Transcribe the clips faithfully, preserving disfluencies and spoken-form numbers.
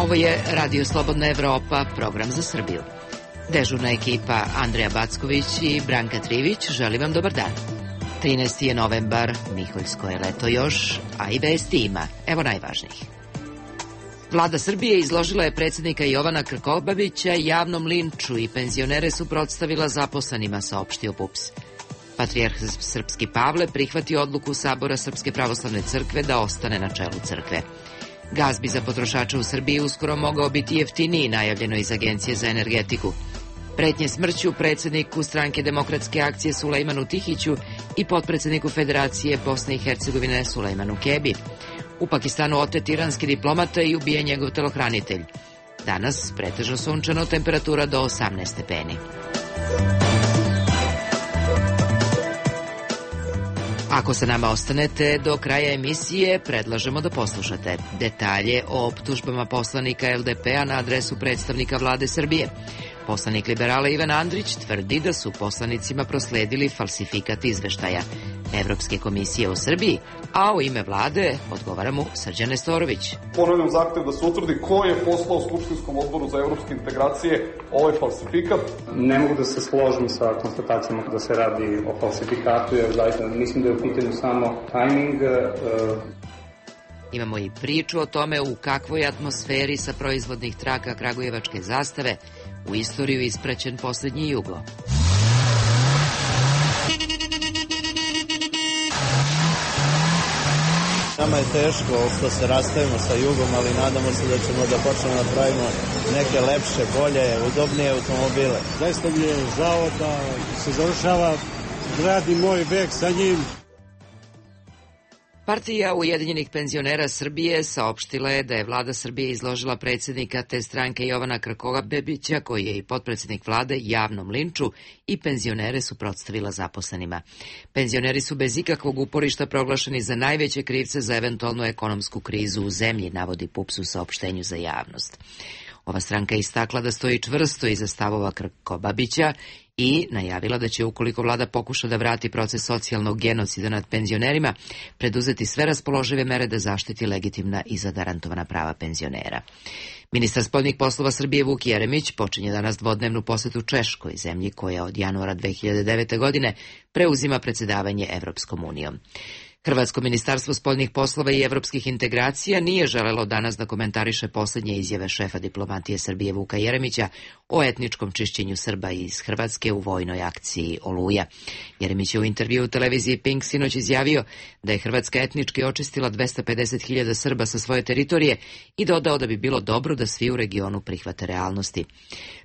Ovo je Radio Slobodna Evropa, program za Srbiju. Dežurna ekipa Andreja Backović i Branka Trivić želi vam dobar dan. trinaesti je novembar, Miholjsko je leto još, a i vesti ima. Evo najvažnijih. Vlada Srbije izložila je predsjednika Jovana Krkobabića javnom linču i penzionere suprotstavila zaposlenima, saopštio P U P S. Patrijarh Srpski Pavle prihvatio odluku Sabora Srpske pravoslavne crkve da ostane na čelu crkve. Gaz bi za potrošače u Srbiji uskoro mogao biti jeftiniji, najavljeno iz Agencije za energetiku. Pretnje smrću predsjedniku Stranke demokratske akcije Sulejmanu Tihiću i potpredsjedniku Federacije Bosne i Hercegovine Sulejmanu Kebi. U Pakistanu otet iranski diplomata i ubijen njegov telohranitelj. Danas pretežno sunčano, temperatura do osamnaest stepeni. Ako sa nama ostanete do kraja emisije, predlažemo da poslušate detalje o optužbama poslanika L D P-a na adresu predstavnika vlade Srbije. Poslanik liberala Ivan Andrić tvrdi da su poslanicima prosledili falsifikat izveštaja Evropske komisije u Srbiji, a u ime vlade odgovara mu Srđan Nestorović. Ponavljam zahtev da se utvrdi ko je poslao Skupštinskom odboru za evropske integracije ovaj falsifikat. Ne mogu da se složim sa konstatacijama da se radi o falsifikatu, jer zaista mislim da je u pitanju samo tajming. Uh... Imamo i priču o tome u kakvoj atmosferi sa proizvodnih traka kragujevačke zastave u istoriju ispraćen posljednji jugo. Nama je teško što se rastajemo sa jugom, ali nadamo se da ćemo da počnemo da pravimo neke lepše, bolje, udobnije automobile. Zaista mi je žao da se završava grad i moj vek sa njim. Partija Ujedinjenih penzionera Srbije saopštila je da je vlada Srbije izložila predsjednika te stranke Jovana Krkobabića, koji je i potpredsjednik vlade, javnom linču i penzionere suprotstavila zaposlenima. Penzioneri su bez ikakvog uporišta proglašeni za najveće krivce za eventualnu ekonomsku krizu u zemlji, navodi P U P S u saopštenju za javnost. Ova stranka je istakla da stoji čvrsto iza stavova Krkobabića i najavila da će, ukoliko vlada pokuša da vrati proces socijalnog genocida nad penzionerima, preduzeti sve raspoložive mere da zaštiti legitimna i zagarantovana prava penzionera. Ministar spoljnih poslova Srbije Vuk Jeremić počinje danas dvodnevnu posetu Češkoj, zemlji koja od januara dve hiljade devete. godine preuzima predsjedavanje Evropskom unijom. Hrvatsko ministarstvo spoljnih poslova i evropskih integracija nije želelo danas da komentariše posljednje izjave šefa diplomatije Srbije Vuka Jeremića o etničkom čišćenju Srba iz Hrvatske u vojnoj akciji Oluja. Jeremić je u intervju u televiziji Pink sinoć izjavio da je Hrvatska etnički očistila dvesta pedeset hiljada Srba sa svoje teritorije i dodao da bi bilo dobro da svi u regionu prihvate realnosti.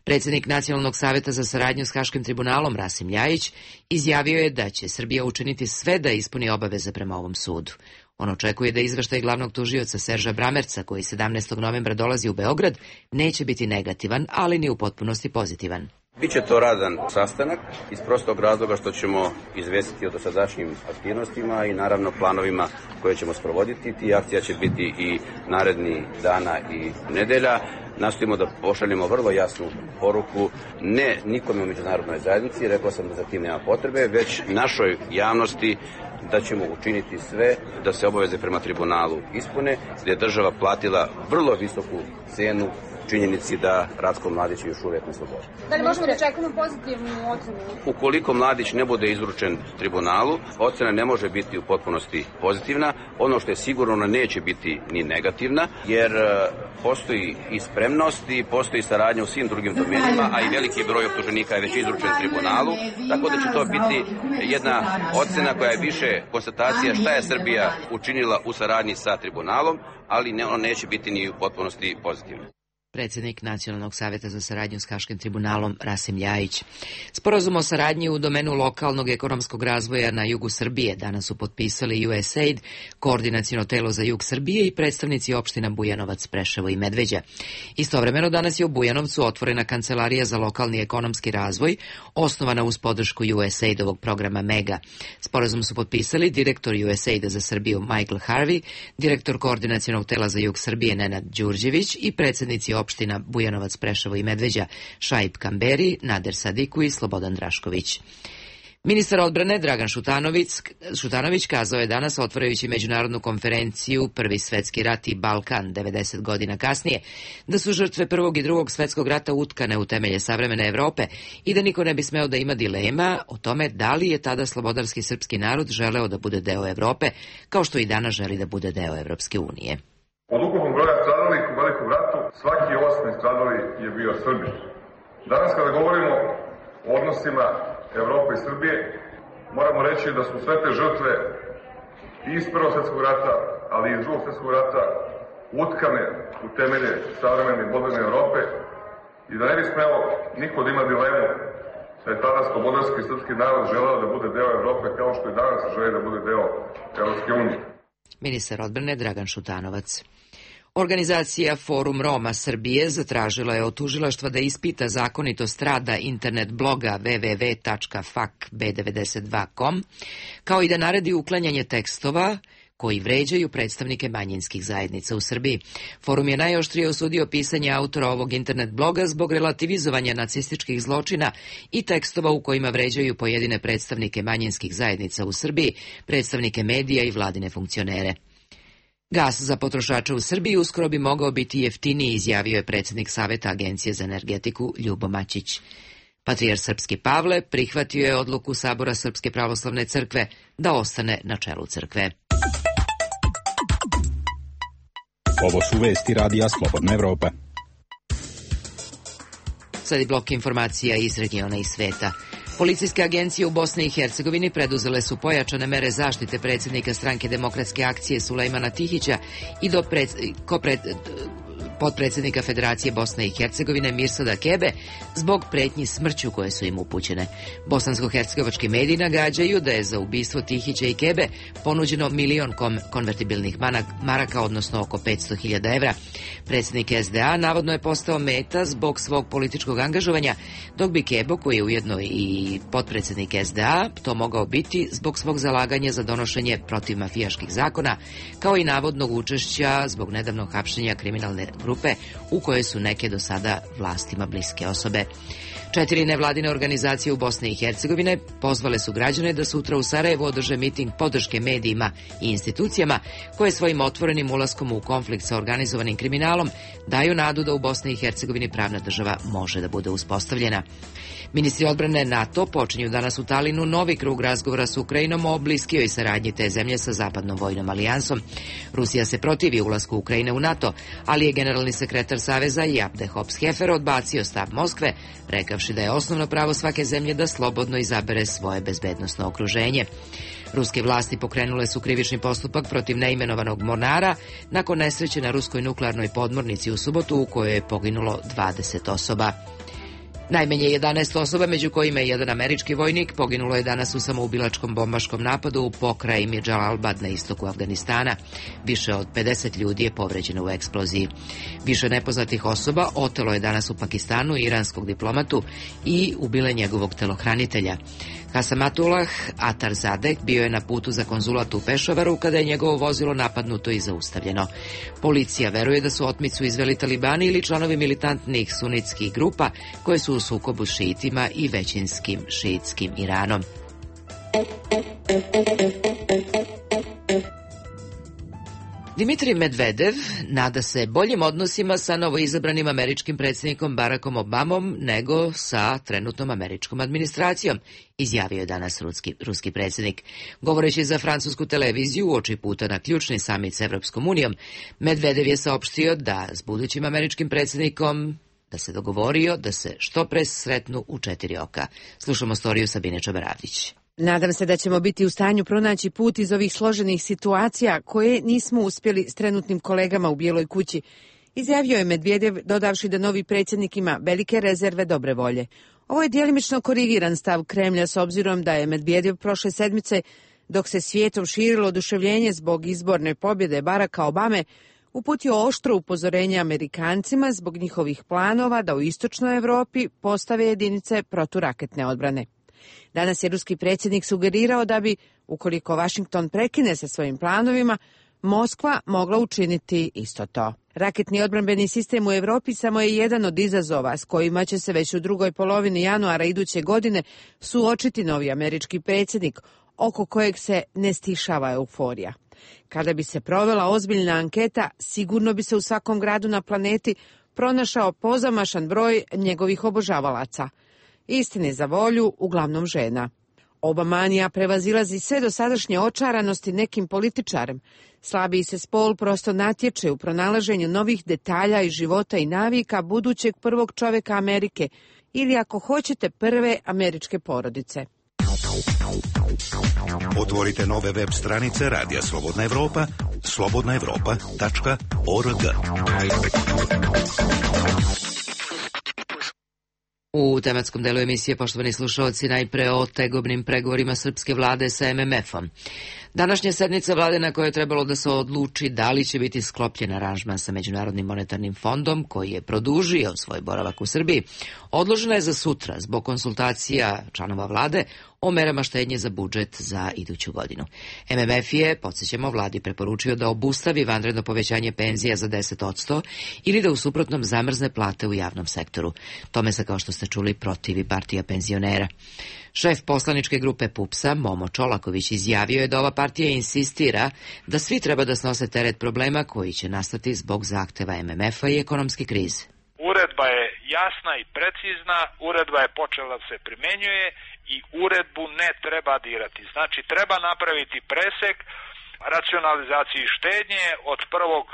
Predsjednik Nacionalnog saveta za saradnju s Haškim tribunalom Rasim Ljajić izjavio je da će Srbija učiniti sve da ispuni obaveze prema ovom sudu. On očekuje da izveštaj glavnog tužioca Serža Bramerca, koji sedamnaestog novembra dolazi u Beograd, neće biti negativan, ali ni u potpunosti pozitivan. Biće to radan sastanak iz prostog razloga što ćemo izvestiti o dosadašnjim aktivnostima i naravno planovima koje ćemo sprovoditi. Ti akcija će biti i naredni dana i nedelja. Nastojimo da pošaljemo vrlo jasnu poruku, ne nikome u međunarodnoj zajednici, rekao sam da za tim nema potrebe, već našoj javnosti da ćemo učiniti sve da se obaveze prema tribunalu ispune, gdje je država platila vrlo visoku cenu činjenici da Ratko Mladić još uvijek ne slobodi. Da li možemo da čekamo pozitivnu ocenu? Ukoliko Mladić ne bude izručen tribunalu, ocena ne može biti u potpunosti pozitivna. Ono što je sigurno, ona neće biti ni negativna, jer postoji i spremnost i postoji saradnja u svim drugim domenima, a i veliki broj optuženika je već izručen tribunalu, tako da će to biti jedna ocena koja je više konstatacija šta je Srbija učinila u saradnji sa tribunalom, ali ne, ono neće biti ni u potpunosti pozitivna. Predsjednik Nacionalnog saveta za saradnju s Haškim tribunalom Rasim Ljajić. Sporazum o saradnji u domenu lokalnog ekonomskog razvoja na jugu Srbije danas su potpisali U S A I D, koordinaciono telo za jug Srbije i predstavnici opština Bujanovac, Preševo i Medveđa. Istovremeno danas je u Bujanovcu otvorena Kancelarija za lokalni ekonomski razvoj, osnovana uz podršku U S A I D-ovog programa MEGA. Sporazum su potpisali direktor U S A I D-a za Srbiju Michael Harvey, direktor koordinacionog tela za jug Srbije Nenad Đurđević i predsjednici opština Bujanovac, Preševo i Medveđa Šaip Kamberi, Nader Sadiku i Slobodan Drašković. Ministar odbrane Dragan Šutanović, Šutanović kazao je danas, otvarajući međunarodnu konferenciju Prvi svetski rat i Balkan devedeset godina kasnije, da su žrtve Prvog i Drugog svetskog rata utkane u temelje savremene Evrope i da niko ne bi smeo da ima dilema o tome da li je tada slobodarski srpski narod želeo da bude deo Evrope, kao što i danas želi da bude deo Evropske unije. Od ukupnog broja stradalih u Velikom ratu, svaki osmi stradali je bio Srbin. Danas kada govorimo o odnosima Evrope i Srbije, moramo reći da su sve te žrtve i iz Prvog svjetskog rata, ali i iz Drugog svjetskog rata utkane u temelje savremene i moderne Evrope i da ne bi smelo niko da ima dilemu da je tada slobodarski srpski narod želeo da bude deo Evrope kao što i danas želi da bude deo Evropske unije. Ministar odbrane Dragan Šutanovac. Organizacija Forum Roma Srbije zatražila je od tužilaštva da ispita zakonitost rada internet bloga w w w tačka fak b devedeset dva tačka com, kao i da naredi uklanjanje tekstova koji vređaju predstavnike manjinskih zajednica u Srbiji. Forum je najoštrije osudio pisanje autora ovog internet bloga zbog relativizovanja nacističkih zločina i tekstova u kojima vređaju pojedine predstavnike manjinskih zajednica u Srbiji, predstavnike medija i vladine funkcionere. Gas za potrošače u Srbiji uskoro bi mogao biti jeftiniji, izjavio je predsjednik Saveta Agencije za energetiku Ljubo Maćić. Patrijarh Srpski Pavle prihvatio je odluku Sabora Srpske pravoslavne crkve da ostane na čelu crkve. Ovo su vesti radija Slobodna Evropa. Sad je blok informacija iz regiona i sveta. Policijske agencije u Bosni i Hercegovini preduzele su pojačane mere zaštite predsjednika Stranke demokratske akcije Sulejmana Tihića i do pred, ko pred, potpredsjednika Federacije Bosne i Hercegovine Mirsada Kebe zbog pretnji smrću koje su im upućene. Bosansko-hercegovački mediji nagađaju da je za ubistvo Tihića i Kebe ponuđeno milion konvertibilnih maraka, odnosno oko petsto hiljada evra. Predsjednik S D A navodno je postao meta zbog svog političkog angažovanja, dok bi Kebo, koji je ujedno i potpredsjednik S D A, to mogao biti zbog svog zalaganja za donošenje protivmafijaških zakona, kao i navodnog učešća zbog nedavnog hapšenja kriminalne grupe u kojoj su neke do sada vlastima bliske osobe. Četiri nevladine organizacije u Bosni i Hercegovine pozvale su građane da sutra u Sarajevu održe miting podrške medijima i institucijama koje svojim otvorenim ulaskom u konflikt sa organizovanim kriminalom daju nadu da u Bosni i Hercegovini pravna država može da bude uspostavljena. Ministri odbrane NATO počinju danas u Talinu novi krug razgovora s Ukrajinom o bliskijoj saradnji te zemlje sa zapadnom vojnom alijansom. Rusija se protivi ulasku Ukrajine u NATO, ali je generalni sekretar Saveza Jabde Hops-Hefer odbacio stav Moskve, rekavši da je osnovno pravo svake zemlje da slobodno izabere svoje bezbednosno okruženje. Ruske vlasti pokrenule su krivični postupak protiv neimenovanog mornara nakon nesreće na ruskoj nuklearnoj podmornici u subotu u kojoj je poginulo dvadeset osoba. Najmanje jedanaest osoba, među kojima je jedan američki vojnik, poginulo je danas u samoubilačkom bombaškom napadu u pokrajini Džalalbad na istoku Afganistana. Više od pedeset ljudi je povređeno u eksploziji. Više nepoznatih osoba otelo je danas u Pakistanu iranskog diplomatu i ubile njegovog telohranitelja. Hasamatullah Atarzadeh bio je na putu za konzulat u Pešavaru kada je njegovo vozilo napadnuto i zaustavljeno. Policija veruje da su otmicu izveli talibani ili članovi militantnih sunitskih grupa koje su u sukobu s šiitima i većinskim šiitskim Iranom. Dimitrij Medvedev nada se boljim odnosima sa novoizabranim američkim predsjednikom Barackom Obamom nego sa trenutnom američkom administracijom, izjavio je danas ruski, ruski predsjednik. Govoreći za francusku televiziju uoči puta na ključni samit s Evropskom unijom, Medvedev je saopštio da s budućim američkim predsjednikom da se dogovorio da se što pre sretnu u četiri oka. Slušamo storiju Sabine Čabaravdić. Nadam se da ćemo biti u stanju pronaći put iz ovih složenih situacija koje nismo uspjeli s trenutnim kolegama u Bijeloj kući, izjavio je Medvedev, dodavši da novi predsjednik ima velike rezerve dobre volje. Ovo je djelimično korigiran stav Kremlja s obzirom da je Medvedev prošle sedmice, dok se svijetom širilo oduševljenje zbog izborne pobjede Baracka Obame, uputio oštro upozorenje Amerikancima zbog njihovih planova da u istočnoj Evropi postave jedinice proturaketne odbrane. Danas je ruski predsjednik sugerirao da bi, ukoliko Washington prekine sa svojim planovima, Moskva mogla učiniti isto to. Raketni odbrambeni sistem u Evropi samo je jedan od izazova s kojima će se već u drugoj polovini januara iduće godine suočiti novi američki predsjednik, oko kojeg se ne stišava euforija. Kada bi se provela ozbiljna anketa, sigurno bi se u svakom gradu na planeti pronašao pozamašan broj njegovih obožavalaca. Istini za volju, uglavnom žena. Obamanija prevazilazi sve dosadašnje očaranosti nekim političarem. Slabiji se spol prosto natječe u pronalaženju novih detalja iz života i navika budućeg prvog čovjeka Amerike ili, ako hoćete, prve američke porodice. Otvorite nove web stranice Radija Slobodna Evropa, slobodna evropa tačka org. U tematskom delu emisije, poštovani slušalci, najpre o tegobnim pregovorima srpske vlade sa em em efom. Današnja sednica vlade na kojoj je trebalo da se odluči da li će biti sklopljen aranžman sa Međunarodnim monetarnim fondom, koji je produžio svoj boravak u Srbiji, odložena je za sutra zbog konsultacija članova vlade o merama štednje za budžet za iduću godinu. em em ef je, podsjećamo, vladi preporučio da obustavi vanredno povećanje penzija za deset posto ili da u suprotnom zamrzne plate u javnom sektoru. Tome se, kao što ste čuli, protivi partija penzionera. Šef poslaničke grupe PUPS-a, Momo Čolaković, izjavio je da ova partija insistira da svi treba da snose teret problema koji će nastati zbog zahteva em em efa i ekonomske krize. Uredba je jasna i precizna, uredba je počela da se primenjuje i uredbu ne treba dirati. Znači, treba napraviti presek racionalizaciji štednje od prvog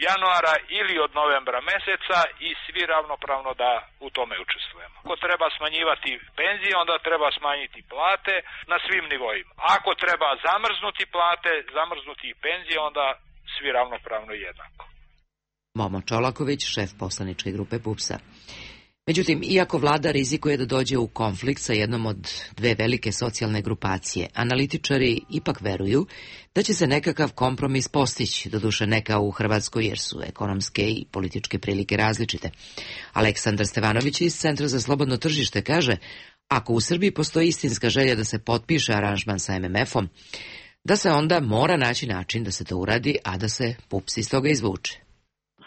januara ili od novembra meseca i svi ravnopravno da u tome učestvujemo. Ako treba smanjivati penzije, onda treba smanjiti plate na svim nivoima. Ako treba zamrznuti plate, zamrznuti i penzije, onda svi ravnopravno i jednako. Momo Čolaković, šef poslaničke grupe PUPS-a. Međutim, iako vlada rizikuje da dođe u konflikt sa jednom od dve velike socijalne grupacije, analitičari ipak veruju da će se nekakav kompromis postići, doduše ne kao u Hrvatskoj jer su ekonomske i političke prilike različite. Aleksandar Stevanović iz Centra za slobodno tržište kaže, ako u Srbiji postoji istinska želja da se potpiše aranžman sa em em efom, da se onda mora naći način da se to uradi, a da se PUPS iz toga izvuče.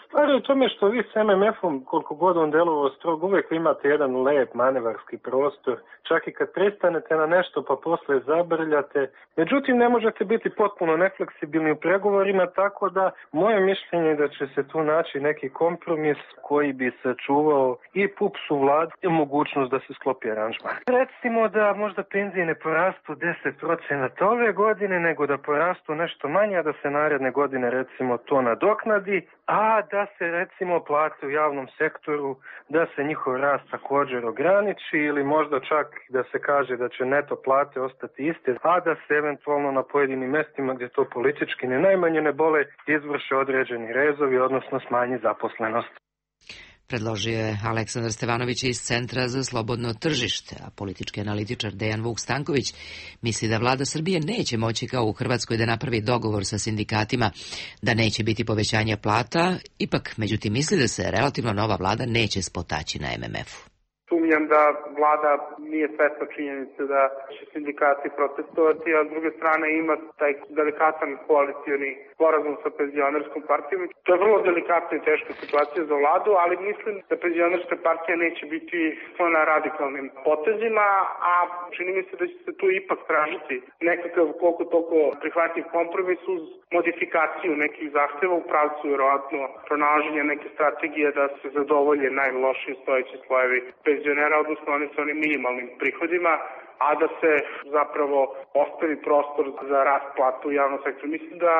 Stvar je u tome što vi s em em efom, koliko god on delovao strogo, uvijek imate jedan lep manevarski prostor, čak i kad pristanete na nešto pa posle zabrljate. Međutim, ne možete biti potpuno nefleksibilni u pregovorima, tako da moje mišljenje je da će se tu naći neki kompromis koji bi sačuvao i PUPS-u vladu i mogućnost da se sklopi aranžman. Recimo da možda penzije ne porastu deset procenata ove godine, nego da porastu nešto manje, a da se naredne godine recimo to nadoknadi, a da se recimo plate u javnom sektoru, da se njihov rast također ograniči ili možda čak da se kaže da će neto plate ostati iste, a da se eventualno na pojedinim mjestima gdje to politički ne najmanje ne bole izvrše određeni rezovi, odnosno smanji zaposlenost. Predložio je Aleksandar Stevanović iz Centra za slobodno tržište, a politički analitičar Dejan Vuk Stanković misli da vlada Srbije neće moći kao u Hrvatskoj da napravi dogovor sa sindikatima, da neće biti povećanja plata, ipak međutim misli da se relativno nova vlada neće spotaći na em em efu. Sumnjam da vlada nije svesna činjenice da će sindikati protestovati, a s druge strane ima taj delikatan koalicioni sporazum sa penzionerskom partijom. To je vrlo delikatna i teška situacija za vladu, ali mislim da penzionerska partija neće biti na radikalnim potezima, a čini mi se da će se tu ipak tražiti nekakav koliko toliko prihvatljiv kompromis uz modifikaciju nekih zahteva u pravcu vjerojatno pronalaženja neke strategije da se zadovolje najlošije stojeći slojevi penzionera, odnosno oni sa onim minimalnim prihodima, a da se zapravo ostavi prostor za rast plata u javnom sektoru. Mislim da,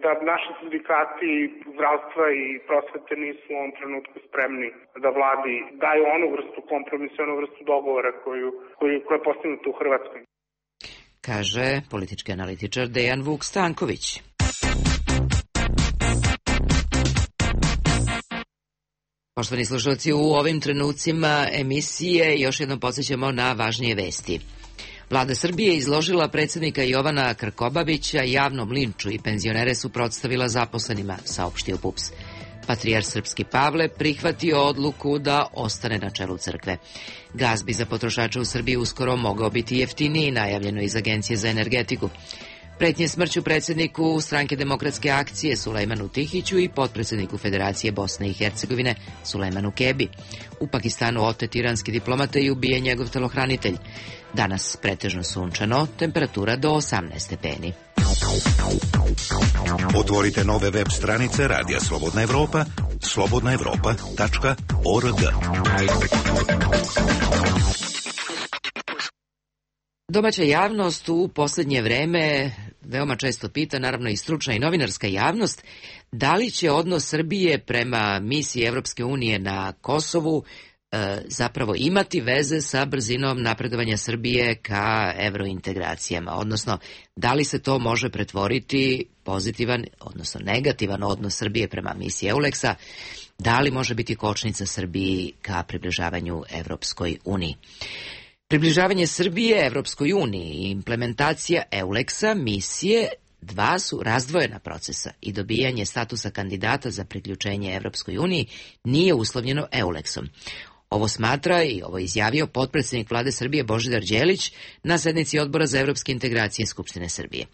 da naši sindikati zdravstva i prosvete nisu u ovom trenutku spremni da vladi daju onu vrstu kompromisa, onu vrstu dogovora koju, koju, koja je postignuta u Hrvatskoj. Kaže politički analitičar Dejan Vuk Stanković. Poštovani slušalci, u ovim trenucima emisije još jednom podsjećamo na važnije vesti. Vlada Srbije izložila predsjednika Jovana Krkobabića javnom linču i penzionere suprotstavila zaposlenima, saopštio PUPS. Patrijar srpski Pavle prihvatio odluku da ostane na čelu crkve. Gaz bi za potrošače u Srbiji uskoro mogao biti jeftiniji, najavljeno iz Agencije za energetiku. Pretnje smrću predsjedniku Stranke demokratske akcije Sulejmanu Tihiću i potpredsjedniku Federacije Bosne i Hercegovine Sulejmanu Kebi. U Pakistanu otet iranski diplomata i ubijen njegov telohranitelj. Danas pretežno sunčano, temperatura do osamnaest stepeni. Otvorite nove web stranice Radija Slobodna Evropa, slobodna evropa tačka org. Domaća javnost u posljednje vreme veoma često pita, naravno i stručna i novinarska javnost, da li će odnos Srbije prema misiji Evropske unije na Kosovu e, zapravo imati veze sa brzinom napredovanja Srbije ka evrointegracijama, odnosno da li se to može pretvoriti pozitivan, odnosno negativan odnos Srbije prema misiji EULEX-a, da li može biti kočnica Srbiji ka približavanju Evropskoj uniji. Približavanje Srbije Evropskoj uniji i implementacija EULEX-a misije dva su razdvojena procesa i dobijanje statusa kandidata za priključenje Evropskoj uniji nije uslovljeno EULEX-om. Ovo smatra i ovo izjavio potpredsjednik vlade Srbije Božidar Đelić na sednici Odbora za evropske integracije Skupštine Srbije.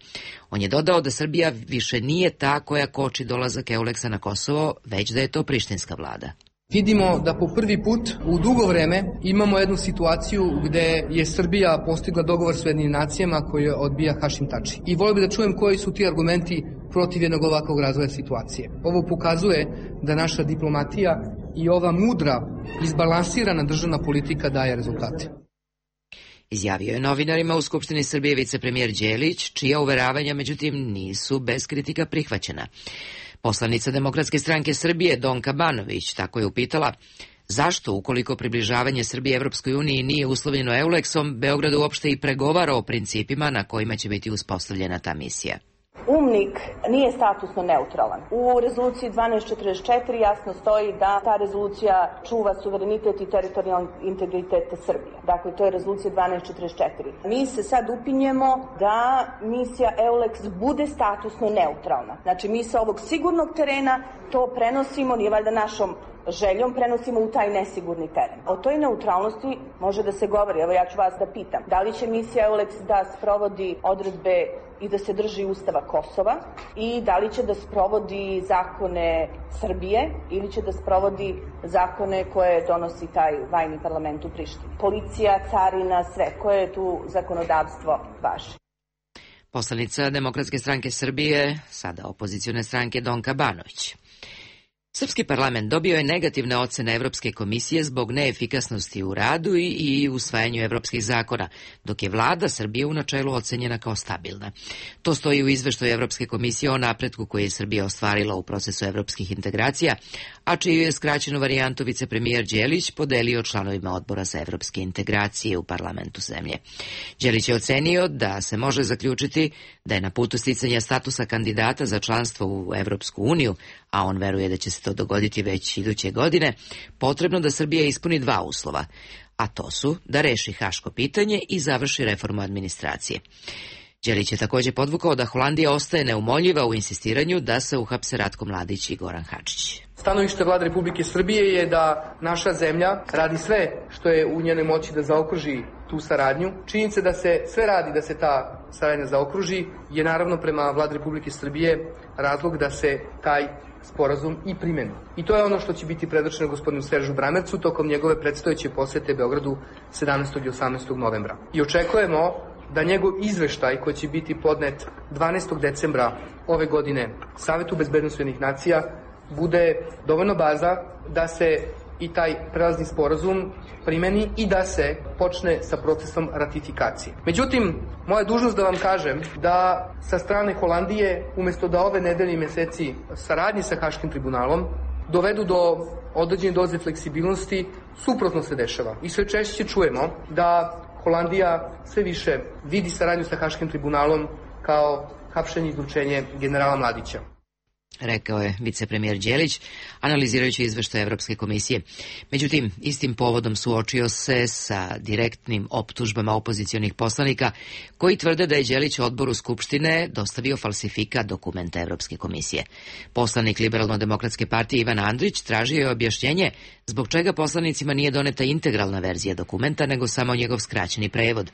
On je dodao da Srbija više nije ta koja koči dolazak EULEX-a na Kosovo, već da je to prištinska vlada. Vidimo da po prvi put u dugo vreme imamo jednu situaciju gde je Srbija postigla dogovor s Ujedinjenim nacijama koji odbija Hašim Tači. I volio bih da čujem koji su ti argumenti protiv jednog ovakvog razvoja situacije. Ovo pokazuje da naša diplomatija i ova mudra, izbalansirana državna politika daje rezultate. Izjavio je novinarima u Skupštini Srbije vicepremijer Đelić, čija uveravanja međutim nisu bez kritika prihvaćena. Poslanica Demokratske stranke Srbije Donka Banović tako je upitala zašto, ukoliko približavanje Srbije Evropskoj uniji nije uslovljeno EULEX-om, Beograd uopšte i pregovara o principima na kojima će biti uspostavljena ta misija. UMNIK nije statusno neutralan. U rezoluciji dvanaest četrdeset četiri jasno stoji da ta rezolucija čuva suverenitet i teritorijalni integritet Srbije. Dakle, to je rezolucija dvanaest četrdeset četiri. Mi se sad upinjemo da misija EULEX bude statusno neutralna. Znači, mi sa ovog sigurnog terena to prenosimo, nije valjda našom željom, prenosimo u taj nesigurni teren. O toj neutralnosti može da se govori. Evo, ja ću vas da pitam. Da li će misija EULEX da sprovodi odredbe i da se drži Ustava Kosova i da li će da sprovodi zakone Srbije ili će da sprovodi zakone koje donosi taj vajni parlament u Prištini. Policija, carina, sve. Koje je tu zakonodavstvo vaše? Poslanica Demokratske stranke Srbije, sada opozicione stranke Donka Banović. Srpski parlament dobio je negativne ocene Evropske komisije zbog neefikasnosti u radu i, i usvajanju evropskih zakona, dok je vlada Srbije u načelu ocenjena kao stabilna. To stoji u izveštaju Evropske komisije o napretku koji je Srbija ostvarila u procesu evropskih integracija, a čiju je skraćenu varijantu vicepremijer Đelić podelio članovima odbora za evropske integracije u parlamentu zemlje. Đelić je ocenio da se može zaključiti da je na putu sticanja statusa kandidata za članstvo u Evropsku uniju, a on veruje da će se to dogoditi već iduće godine, potrebno da Srbija ispuni dva uslova, a to su da reši haško pitanje i završi reformu administracije. Đelić je također podvukao da Holandija ostaje neumoljiva u insistiranju da se uhapse Ratko Mladić i Goran Hadžić. Stanovište vlade Republike Srbije je da naša zemlja radi sve što je u njenoj moći da zaokruži tu saradnju. Činjenica da se sve radi da se ta saradnja zaokruži je naravno prema vladi Republike Srbije razlog da se taj sporazum i primeni. I to je ono što će biti predočeno gospodinu Seržu Bramercu tokom njegove predstojeće posete Beogradu sedamnaestog i osamnaestog novembra. I očekujemo da njegov izveštaj koji će biti podnet dvanaestog decembra ove godine Savetu bezbednosti Ujedinjenih nacija bude dovoljno baza da se i taj prelazni sporazum primeni i da se počne sa procesom ratifikacije. Međutim, moja dužnost da vam kažem da sa strane Holandije, umjesto da ove nedelje i meseci saradnji sa Haškim tribunalom dovedu do određene doze fleksibilnosti, suprotno se dešava. I sve češće čujemo da Holandija sve više vidi saradnju sa Haškim tribunalom kao hapšenje i izručenje generala Mladića. rekao je vicepremijer Đelić, analizirajući izveštaj Evropske komisije. Međutim, istim povodom suočio se sa direktnim optužbama opozicionih poslanika koji tvrde da je Đelić odboru Skupštine dostavio falsifikat dokumenta Evropske komisije. Poslanik Liberalno-demokratske partije Ivan Andrić tražio je objašnjenje zbog čega poslanicima nije doneta integralna verzija dokumenta, nego samo njegov skraćeni prevod.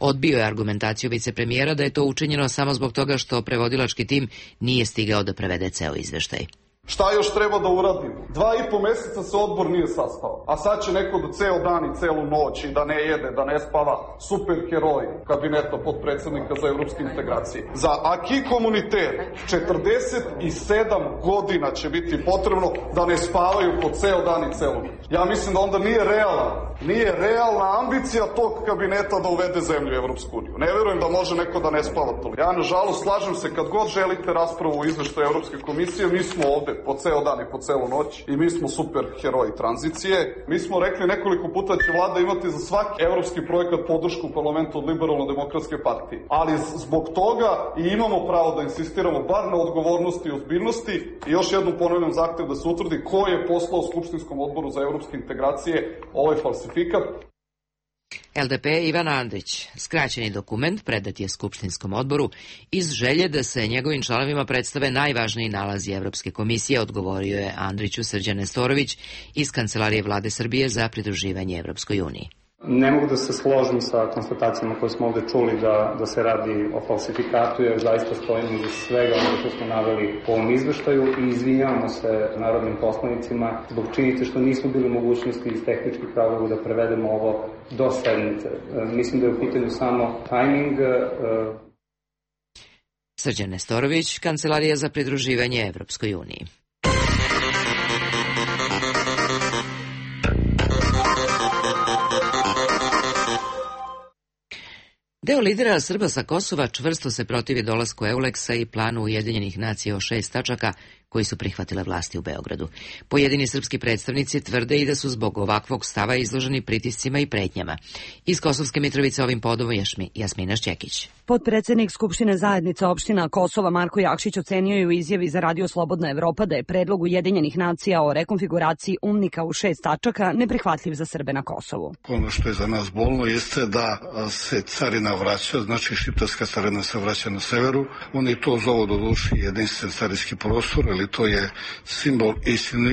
Odbio je argumentaciju vicepremijera da je to učinjeno samo zbog toga što prevodilački tim nije stigao da prevede ceo izveštaj. Šta još treba da uradimo? Dva i po meseca se odbor nije sastao, a sad će neko da ceo dan i celu noć i da ne jede, da ne spava, super heroj kabineta podpredsednika za evropske integracije. Za acquis communautaire četrdeset sedam godina će biti potrebno da ne spavaju po ceo dan i celu noć. Ja mislim da onda nije realna, nije realna ambicija tog kabineta da uvede zemlju u Evropsku uniju. Ne verujem da može neko da ne spava toliko. Ja, nažalost, slažem se, kad god želite raspravu o izveštaju Evropske komisije, mi smo ovde po ceo dan i po celu noć i mi smo super heroji tranzicije. Mi smo rekli nekoliko puta da će vlada imati za svaki evropski projekat podršku u parlamentu od Liberalno-demokratske partije. Ali zbog toga i imamo pravo da insistiramo bar na odgovornosti i ozbiljnosti i još jednom ponavljam zahtev da se utvrdi ko je poslao Skupštinskom odboru za evropske integracije ovaj falsifikat. L D P Ivan Andrić. Skraćeni dokument predat je Skupštinskom odboru iz želje da se njegovim članovima predstave najvažniji nalazi Evropske komisije, odgovorio je Andriću Srđan Nestorović iz Kancelarije vlade Srbije za pridruživanje Evropskoj uniji. Ne mogu da se složim sa konstatacijama koje smo ovde čuli da, da se radi o falsifikatu, jer zaista stojimo iza svega ono što smo naveli u ovom izveštaju i izvinjavamo se narodnim poslanicima zbog činjenice što nismo bili mogućnosti iz tehničkih razloga da prevedemo ovo do sednice. Mislim da je u pitanju samo tajming. Srđan Nestorović, Kancelarija za pridruživanje Evropskoj uniji. Deo lidera Srba sa Kosova čvrsto se protivi dolasku Euleksa i planu Ujedinjenih nacija o šest tačaka koji su prihvatile vlasti u Beogradu. Pojedini srpski predstavnici tvrde i da su zbog ovakvog stava izloženi pritiscima i pretnjama. Iz Kosovske Mitrovice ovim povodom Jasmina Šćekić. Potpredsednik Skupštine zajednica opština Kosova Marko Jakšić ocenio je u izjavi za Radio Slobodna Evropa da je predlog Ujedinjenih nacija o rekonfiguraciji UNMIK-a u šest tačaka neprihvatljiv za Srbe na Kosovu. Ono što je za nas bolno jeste da se carina vraća, znači šiptarska carina se vraća na severu. Oni to zovu do duši jedinstven carinski prostor, ali to je simbol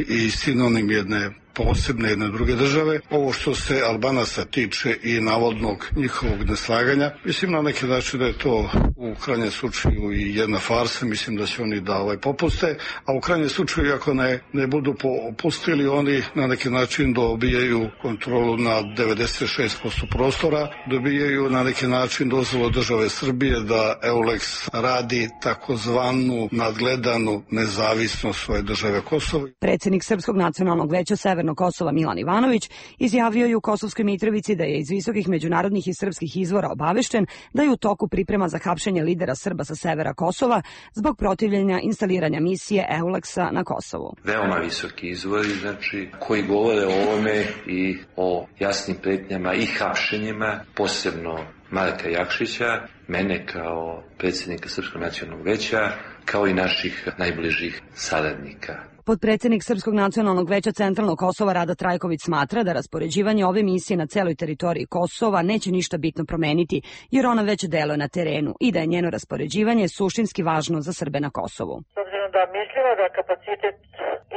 i sinonim jedne posebne jedne druge države. Ovo što se Albanaca tiče i navodnog njihovog neslaganja, mislim na neki način da je to u krajnjem slučaju i jedna farsa, mislim da će oni da ovaj popuste, a u krajnjem slučaju ako ne, ne budu popustili, oni na neki način dobijaju kontrolu na devedeset šest posto prostora, dobijaju na neki način dozvolu države Srbije da Euleks radi takozvanu nadgledanu nezavisnost svoje države Kosovo. Predsjednik Srpskog nacionalnog veća Severnog Kosova Milan Ivanović izjavio je u Kosovskoj Mitrovici da je iz visokih međunarodnih i srpskih izvora obavešten da je u toku priprema za hapšenje lidera Srba sa severa Kosova zbog protivljenja instaliranja misije Euleksa na Kosovu. Veoma visoki izvori, znači, koji govore o ovome i o jasnim pretnjama i hapšenjima, posebno Marka Jakšića, mene kao predsjednika Srpskog nacionalnog veća, kao i naših najbližih saradnika. Potpredsednik Srpskog nacionalnog veća Centralnog Kosova Rada Trajković smatra da raspoređivanje ove misije na celoj teritoriji Kosova neće ništa bitno promeniti, jer ona već deluje na terenu i da je njeno raspoređivanje suštinski važno za Srbe na Kosovu. S obzirom da mislimo da kapacitet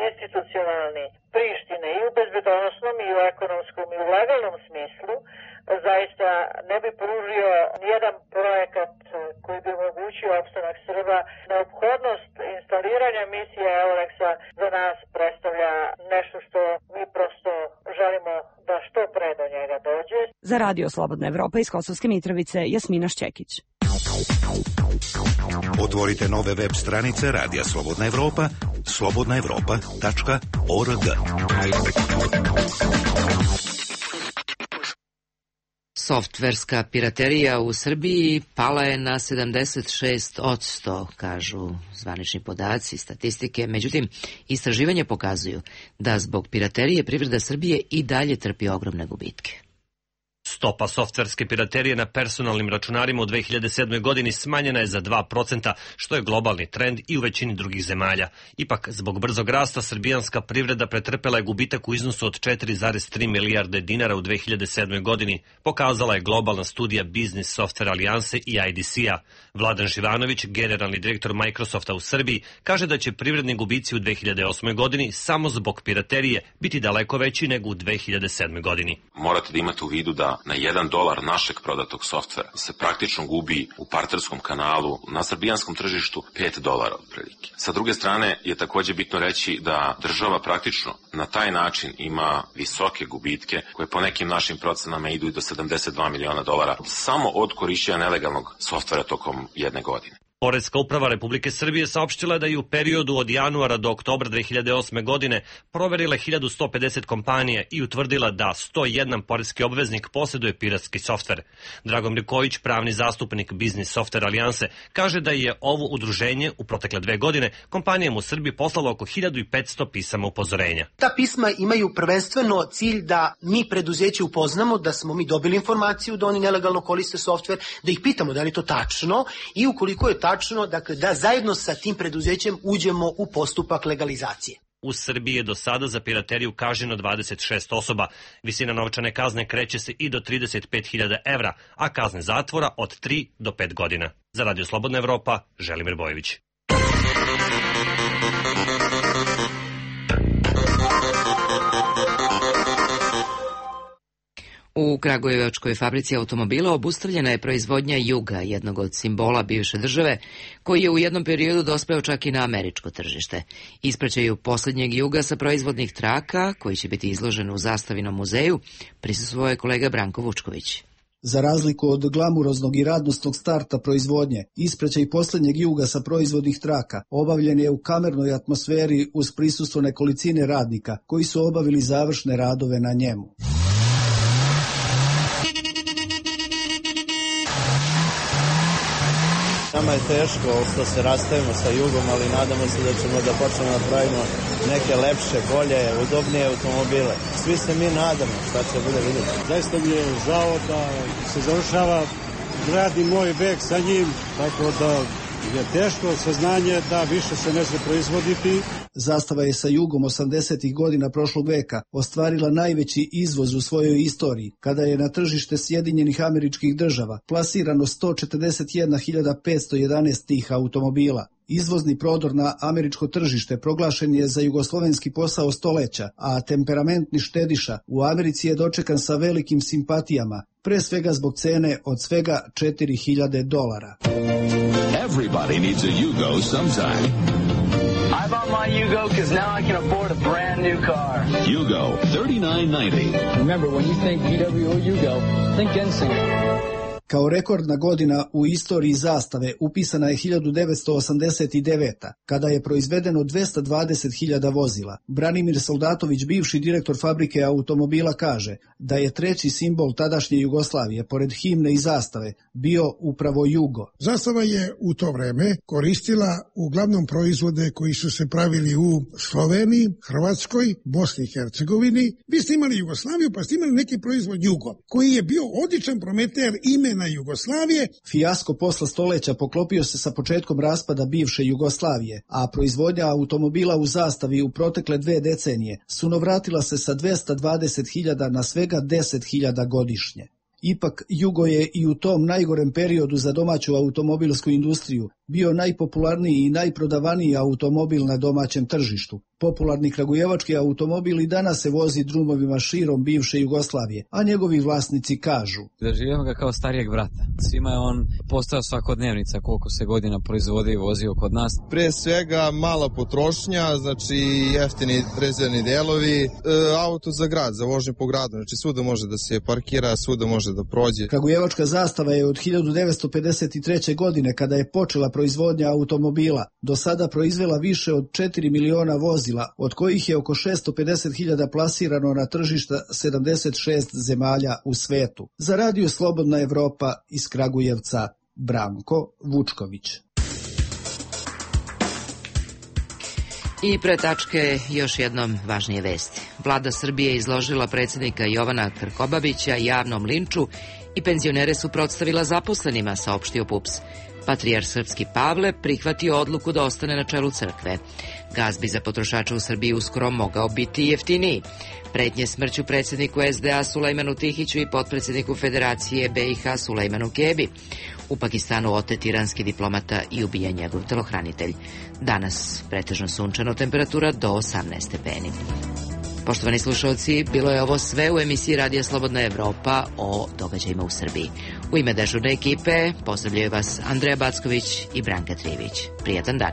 institucionalni Prištine i u bezbedonosnom i u ekonomskom i u legalnom smislu zaista ne bi pružio nijedan projekat koji bi omogućio opstanak Srba. Neophodnost instaliranja misije Euleksa za nas predstavlja nešto što mi prosto želimo da što pre do njega dođe. Za Radio Slobodna Evropa iz Kosovske Mitrovice, Jasmina Šćekić. Otvorite nove web stranice Radija Slobodna Evropa, slobodna evropa tačka org. Softverska piraterija u Srbiji pala je na sedamdeset šest posto, kažu zvanični podaci, statistike. Međutim, istraživanja pokazuju da zbog piraterije privreda Srbije i dalje trpi ogromne gubitke. Stopa softverske piraterije na personalnim računarima u dve hiljade sedmoj. godini smanjena je za dva procenta, što je globalni trend i u većini drugih zemalja. Ipak, zbog brzog rasta, srbijanska privreda pretrpela je gubitak u iznosu od četiri zarez tri milijarde dinara u dve hiljade sedmoj. godini, pokazala je globalna studija Business Software Alijanse i I D C-a. Vladan Živanović, generalni direktor Microsofta u Srbiji, kaže da će privredni gubici u dve hiljade osmoj. godini samo zbog piraterije biti daleko veći nego u dve hiljade sedmoj. godini. Morate da imate u vidu da na jedan dolar našeg prodatog softvera se praktično gubi u partnerskom kanalu na srbijanskom tržištu pet dolara otprilike. Sa druge strane je takođe bitno reći da država praktično na taj način ima visoke gubitke koje po nekim našim procenama idu i do sedamdeset dva miliona dolara samo od korišćenja nelegalnog softvera tokom jedne godine. Poreska uprava Republike Srbije saopštila je da je u periodu od januara do oktobra dve hiljade osme. godine proverila hiljadu sto pedeset kompanija i utvrdila da sto jedan poreski obveznik posjeduje piratski softver. Dragomir Kojić, pravni zastupnik Business Software Alijanse, kaže da je ovo udruženje u protekle dve godine kompanijama u Srbiji poslalo oko hiljadu petsto pisama upozorenja. Ta pisma imaju prvenstveno cilj da mi preduzeće upoznamo, da smo mi dobili informaciju da oni nelegalno koriste softver, da ih pitamo da li je to tačno i ukoliko je tačno, dakle, da zajedno sa tim preduzećem uđemo u postupak legalizacije. U Srbiji je do sada za pirateriju kažnjeno dvadeset šest osoba. Visina novčane kazne kreće se i do trideset pet hiljada evra, a kazne zatvora od tri do pet godina. Za Radio Slobodna Evropa, Želimir Bojević. U kragujevačkoj fabrici automobila obustavljena je proizvodnja Juga, jednog od simbola bivše države, koji je u jednom periodu dospeo čak i na američko tržište. Ispraćaju posljednjeg Juga sa proizvodnih traka, koji će biti izložen u Zastavinom muzeju, prisustvovao je kolega Branko Vučković. Za razliku od glamuroznog i radnosnog starta proizvodnje, ispraćaj posljednjeg Juga sa proizvodnih traka obavljen je u kamernoj atmosferi uz prisustvo nekolicine radnika koji su obavili završne radove na njemu. Nama je teško što se rastajemo sa Jugom, ali nadamo se da ćemo da počnemo da pravimo neke lepše, bolje, udobnije automobile. Svi se mi nadamo šta će bude vidjeti. Zaista mi je žao da se završava grad i moj vek sa njim, tako da je teško saznanje da više se ne zna proizvoditi. Zastava je sa Jugom osamdesetih godina prošlog veka ostvarila najveći izvoz u svojoj istoriji, kada je na tržište Sjedinjenih Američkih Država plasirano sto četrdeset jedna hiljada petsto jedanaest tih automobila. Izvozni prodor na američko tržište proglašen je za jugoslovenski posao stoleća, a temperamentni štediša u Americi je dočekan sa velikim simpatijama, pre svega zbog cene od svega četiri hiljade dolara. Everybody needs a Yugo sometime. I bought my Yugo because now I can afford a brand new car. Yugo, thirty-nine ninety. Remember, when you think V W O Yugo, think Ensinger. Kao rekordna godina u istoriji Zastave upisana je hiljadu devetsto osamdeset deveta. kada je proizvedeno dvesta dvadeset hiljada vozila. Branimir Soldatović, bivši direktor fabrike automobila, kaže da je treći simbol tadašnje Jugoslavije, pored himne i zastave, bio upravo Jugo. Zastava je u to vreme koristila uglavnom proizvode koji su se pravili u Sloveniji, Hrvatskoj, Bosni i Hercegovini. Vi ste imali Jugoslaviju, pa ste imali neki proizvod Jugo, koji je bio odličan prometer imena Jugoslavije. Fijasko posla stoleća poklopio se sa početkom raspada bivše Jugoslavije, a proizvodnja automobila u Zastavi u protekle dve decenije sunovratila se sa dvesta dvadeset hiljada na svega deset hiljada godišnje. Ipak, Jugo je i u tom najgorem periodu za domaću automobilsku industriju bio najpopularniji i najprodavaniji automobil na domaćem tržištu. Popularni kragujevački automobil i danas se vozi drumovima širom bivše Jugoslavije, a njegovi vlasnici kažu: doživljamo ga kao starijeg brata. Svima je on postao svakodnevnica koliko se godina proizvodi i vozio kod nas. Pre svega mala potrošnja, znači jeftini rezervni delovi, e, auto za grad, za vožnju po gradu, znači svuda može da se parkira, svuda može da prođe. Kragujevačka Zastava je od hiljadu devetsto pedeset treće. godine, kada je počela proizvodnja automobila, do sada proizvela više od četiri miliona vozila, od kojih je oko šesto pedeset hiljada plasirano na tržišta sedamdeset šest zemalja u svetu. Za Radio Slobodna Evropa iz Kragujevca, Branko Vučković. I pre tačke još jednom važnije vesti. Vlada Srbije izložila predsjednika Jovana Krkobabića javnom linču i penzionere suprotstavila zaposlenima, saopštio P U P S. Patrijarh srpski Pavle prihvatio odluku da ostane na čelu crkve. Gas bi za potrošače u Srbiji uskoro mogao biti jeftiniji. Pretnje smrću predsjedniku S D A Sulejmanu Tihiću i potpredsjedniku Federacije B i H Sulejmanu Kebi. U Pakistanu otet iranski diplomata i ubijen njegov telohranitelj. Danas pretežno sunčano, temperatura do osamnaest stepeni. Poštovani slušalci, bilo je ovo sve u emisiji Radija Slobodna Evropa o događajima u Srbiji. U ime dežurne ekipe pozdravljaju vas Andreja Backović i Branka Trivić. Prijatan dan.